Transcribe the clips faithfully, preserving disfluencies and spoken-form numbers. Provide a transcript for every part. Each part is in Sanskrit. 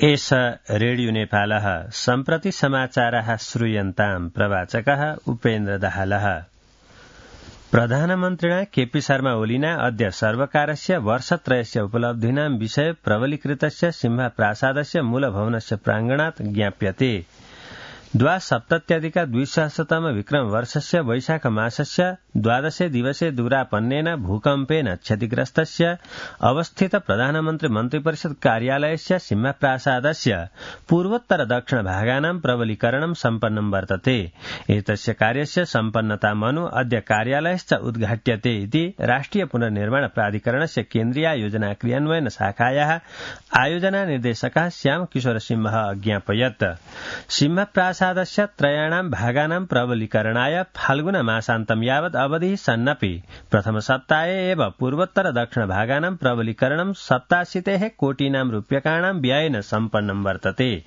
एष रेडियो नेपालः सम्प्रति समाचारः श्रूयन्ताम् प्रवाचकः उपेन्द्र दाहालः। प्रधानमन्त्रिणा केपी शर्मा ओलिना अद्य सर्वकारस्य वर्षत्रयस्य उपलब्धीनां विषये प्रबलीकृतस्य सिंहप्रासादस्य मूलभवनस्य प्राङ्गणात् ज्ञाप्यते। द्वासप्तत्यधिक द्विसहस्रतम विक्रम वर्षस्य वैशाख मासस्य द्वादशे दिवसे दूरापन्नेन भूकम्पेन क्षतिग्रस्तस्य अवस्थित प्रधानमन्त्री मन्त्रिपरिषद कार्यालयस्य सिंहप्रासादस्य पूर्वोत्तर दक्षिण भागानां प्रबलीकरणं सम्पन्नं वर्तते। एतस्य कार्यस्य सम्पन्नतामनु अद्य कार्यालयश्च उद्घाट्यते इति राष्ट्रिय पुनर्निर्माण प्राधिकरणस्य केन्द्रीय योजना क्रियान्वयन शाखायाः आयोजना निर्देशकः श्याम किशोर सिंहः अज्ञापयत्। सिंहप्रासादस्य त्रयाणां भागानां प्रबलीकरणाय फाल्गुन मासान्तं यावत् अवधिः सन्नपि प्रथम सप्ताहे एव पूर्वोत्तर दक्षिण भागानां प्रबलीकरणं सप्ताशीतेः कोटीनां रूप्यकाणां व्ययेन सम्पन्नं वर्तते।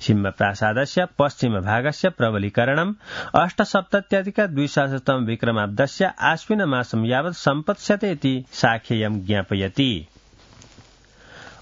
सिंहप्रासादस्य पश्चिम भागस्य प्रबलीकरणम् अष्टसप्तत्यधिक द्विसहस्रतम विक्रमाब्दस्य आश्विन मासं यावत् सम्पत्स्यते इति शाखेयं ज्ञापयति।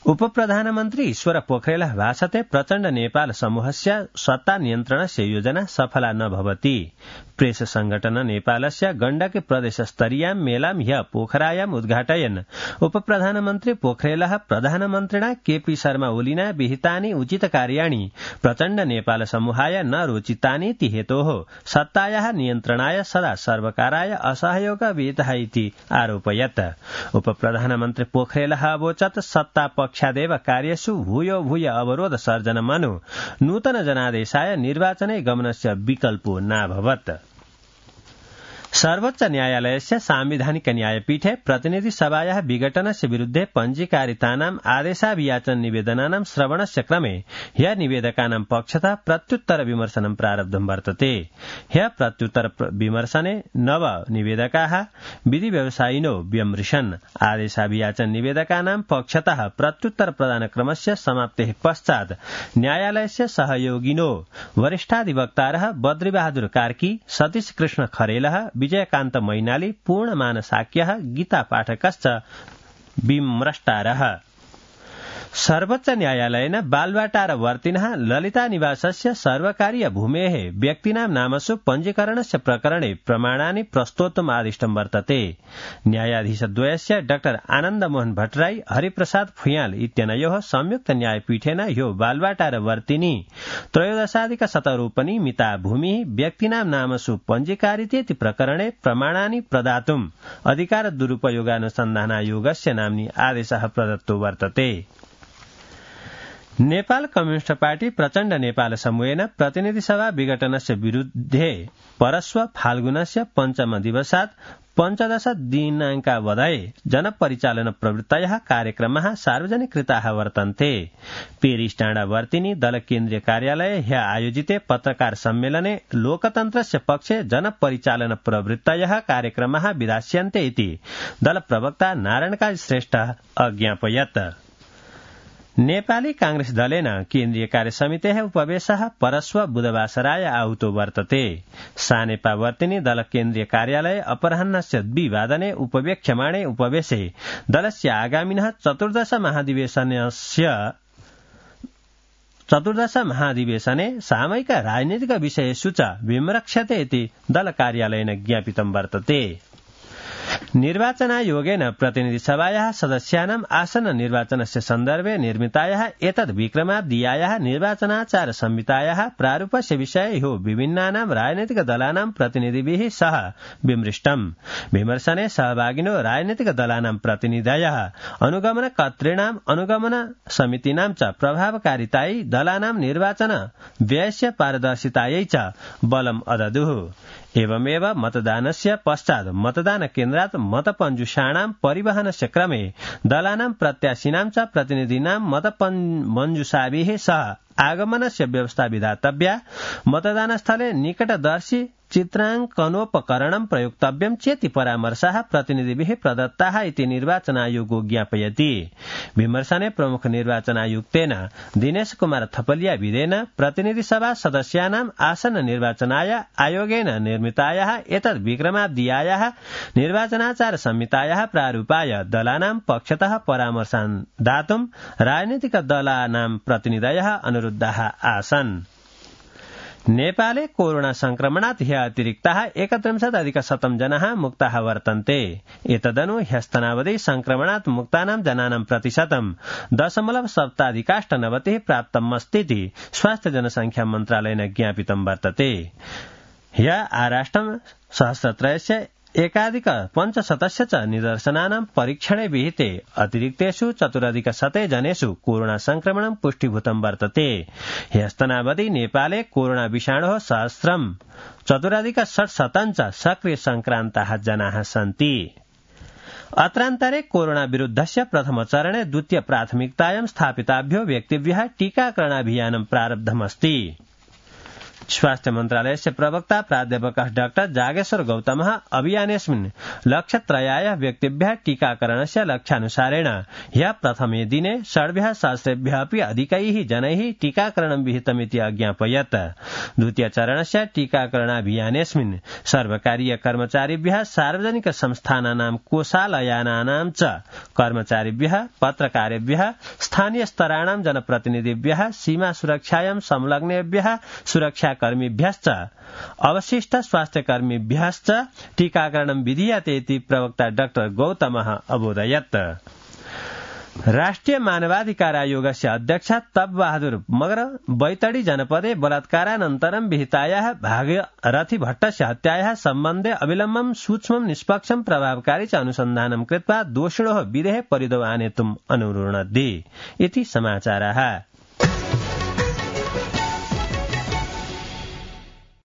उपप्रधानमन्त्री ईश्वर पोखरेलः भाषते प्रचण्ड नेपाल समूहस्य सत्ता नियन्त्रणस्य योजना सफला न भवति। प्रेस संगठन नेपालस्य गण्डकी प्रदेश स्तरीयां मेलां ह्य पोखरायाम् उद्घाटयन् उपप्रधानमन्त्री पोखरेलः प्रधानमन्त्रिणा केपी शर्मा ओलिना विहितानि उचित कार्याणि प्रचण्ड नेपाल समूहाय न रोचितानीति हेतोः सत्तायाः नियन्त्रणाय सदा सर्वकाराय असहयोग विहितः इति आरोपयत्। उपप्रधानमन्त्री पोखरेलः अवोचत् सत्ता पक्षादेव कार्येषु भूयो भूय अवरोध सर्जनमनु नूतन जनादेशाय निर्वाचने गमनस्य विकल्पो नाभवत्। सर्वोच्च न्यायालयस्य सांविधानिक न्यायपीठे प्रतिनिधि सभायाः विघटनस्य विरुद्धे पञ्जीकारितानाम् आदेशाभियाचन निवेदनानां श्रवणस्य क्रमे ह्य निवेदकानां पक्षतः प्रत्युत्तर विमर्शनं प्रारब्धं वर्तते। ह्य प्रत्युत्तर विमर्शने नव निवेदकाः विधि व्यवसायिनो व्यमृशन्। आदेशाभियाचन निवेदकानां पक्षतः प्रत्युत्तर प्रदानक्रमस्य समाप्तेः पश्चात् न्यायालयस्य सहयोगिनो वरिष्ठाधिवक्तारः बद्रीबहादुर कार्की, सतीश कृष्ण खरेलः, विजयकान्त मैनाली, पूर्णमान साक्यः, गीता पाठकश्च विमृष्टारः। सर्वोच्च न्यायालयेन बालवाटारवर्तिनः ललिता निवासस्य सर्वकारीय भूमेः व्यक्तीनां नामसु पञ्जीकरणस्य प्रकरणे प्रमाणानि प्रस्तोतुम् आदिष्टं वर्तते। न्यायाधीशद्वयस्य डाक्टर आनन्दमोहन भट्टराई, हरिप्रसाद फुयाल इत्यनयोः संयुक्त न्यायपीठेन ह्यो बालवाटारवर्तिनी त्रयोदशाधिक शतरूपनी मिता भूमिः व्यक्तीनां नामसु पञ्जीकारितेति प्रकरणे प्रमाणानि प्रदातुम् अधिकार दुरुपयोगानुसन्धानायोगस्य नाम्नि आदेशः प्रदत्तो वर्तते। नेपाल कम्युनिस्ट पार्टी प्रचण्ड नेपाल समूहेन प्रतिनिधि सभा विघटनस्य विरुद्धे परश्व फाल्गुनस्य पञ्चम दिवसात् पञ्चदश दिनाङ्कावधये जनपरिचालन प्रवृत्तयः कार्यक्रमः सार्वजनिकृताः वर्तन्ते। पेरिस टाँडावर्तिनी दल केन्द्रीय कार्यालये ह्य आयोजिते पत्रकार सम्मेलने लोकतन्त्रस्य पक्षे जनपरिचालन प्रवृत्तयः कार्यक्रमः विधास्यन्ते इति दल प्रवक्ता नारायणकाजी श्रेष्ठः अज्ञापयत्। नेपाली कांग्रेस दलेन केन्द्रीय कार्यसमितेः उपवेशः परश्व बुधवासराय आहुतो वर्तते। सानेपावर्तिनी दल केन्द्रीय कार्यालये अपराह्नस्य द्विवादने उपवेक्ष्यमाणे उपवेशे दलस्य आगामिनः चतुर्दश महाधिवेशनस्य चतुर्दश महाधिवेशने सामयिक राजनीतिक विषयेषु च विमृक्ष्यते इति दल कार्यालयेन ज्ञापितं वर्तते। निर्वाचनायोगेन प्रतिनिधि सभायाः सदस्यानाम् आसन्न निर्वाचनस्य सन्दर्भे निर्मितायाः एतद् विक्रमाब्दीयायाः निर्वाचनाचार संहितायाः प्रारूपस्य विषये ह्यो विभिन्नानां राजनैतिक दलानां प्रतिनिधिभिः सह विमृष्टम्। विमर्शने सहभागिनो राजनैतिक दलानां प्रतिनिधयः अनुगमनकर्तॄणाम् अनुगमन समितीनां च प्रभावकारितायै दलानां निर्वाचन व्ययस्य पारदर्शितायै च बलम् अददुः। एवमेव मतदानस्य पश्चात् मतदान केन्द्रात् मतपञ्जुषाणां परिवहनस्य क्रमे दलानां प्रत्याशिनां च प्रतिनिधीनां मतमञ्जुषाभिः सह आगमनस्य व्यवस्था विधातव्या। मतदानस्थले निकटदर्शी चित्रांकनोपकरणं प्रयुक्तव्यं चेति परामर्शाः प्रतिनिधिभिः प्रदत्ताः इति निर्वाचनायोगो ज्ञापयति। विमर्शने प्रमुख निर्वाचनायुक्तेन दिनेश कुमार थपलिया विदेन प्रतिनिधिसभा सदस्यानाम् आसन्न निर्वाचनाय आयोगेन निर्मितायाः एतद् विक्रमाब्दीयायाः निर्वाचनाचार संहितायाः प्रारूपाय दलानां पक्षतः परामर्शान् दातुं राजनीतिक दलानां प्रतिनिधयः अनुरुद्धाः आसन्। नेपाले कोरोना संक्रमणात् ह्य अतिरिक्ताः एकत्रिंशदधिकशतं जनाः मुक्ताः वर्तन्ते। एतदनु ह्यस्तनावधि संक्रमणात् मुक्तानां जनानां प्रतिशतं दशमलव सप्ताधिकाष्टनवतिः प्राप्तमस्तीति स्वास्थ्य जनसंख्या मन्त्रालयेन ज्ञापितं वर्तते। ह्य आराष्ट्रं सहस्रत्रयस्य एकाधिक पञ्चशतस्य च निदर्शनानां परीक्षणे विहिते अतिरिक्तेषु चतुरधिकशते जनेषु कोरोना संक्रमणं पुष्टीभूतं वर्तते। ह्यस्तनावधि नेपाले कोरोना विषाणोः सहस्रं चतुरधिक षट्शतं च सक्रिय संक्रान्ताः जनाः सन्ति। अत्रान्तरे कोरोना विरुद्धस्य प्रथमचरणे द्वितीय प्राथमिकतायां स्थापिताभ्यो व्यक्तिभ्यः टीकाकरणाभियानं प्रारब्धमस्ति। स्वास्थ्य मन्त्रालयस्य प्रवक्ता प्राध्यापकः डाक्टर जागेश्वर गौतमः अभियानेऽस्मिन् लक्षत्रयाय व्यक्तिभ्यः टीकाकरणस्य लक्ष्यानुसारेण ह्यः प्रथमे दिने षड्भ्यः सहस्रेभ्यः अपि अधिकैः जनैः टीकाकरणं विहितमिति अज्ञापयत्। द्वितीय चरणस्य टीकाकरणाभियानेऽस्मिन् सर्वकारीय कर्मचारिभ्यः सार्वजनिक संस्थानानां कोषालयानानां च कर्मचारिभ्यः पत्रकारेभ्यः स्थानीय स्तराणां जनप्रतिनिधिभ्यः सीमा सुरक्षायां संलग्नेभ्यः सुरक्षा कर्मिभ्यश्च अवशिष्ट स्वास्थ्यकर्मिभ्यश्च टीकाकरणं विधीयते इति प्रवक्ता डाक्टर गौतमः अबोधयत्। राष्ट्रिय मानवाधिकार आयोगस्य अध्यक्ष तब बहादुर मगर बैतडी जनपदे बलात्कारानन्तरं विहितायाः भागीरथी भट्टस्य हत्यायाः सम्बन्धे अविलम्बं सूक्ष्मं निष्पक्षं प्रभावकारी च अनुसन्धानं कृत्वा दोषिणोः विदेहे परिदो आनेतुम् अनुरुणद्धि इति समाचाराः।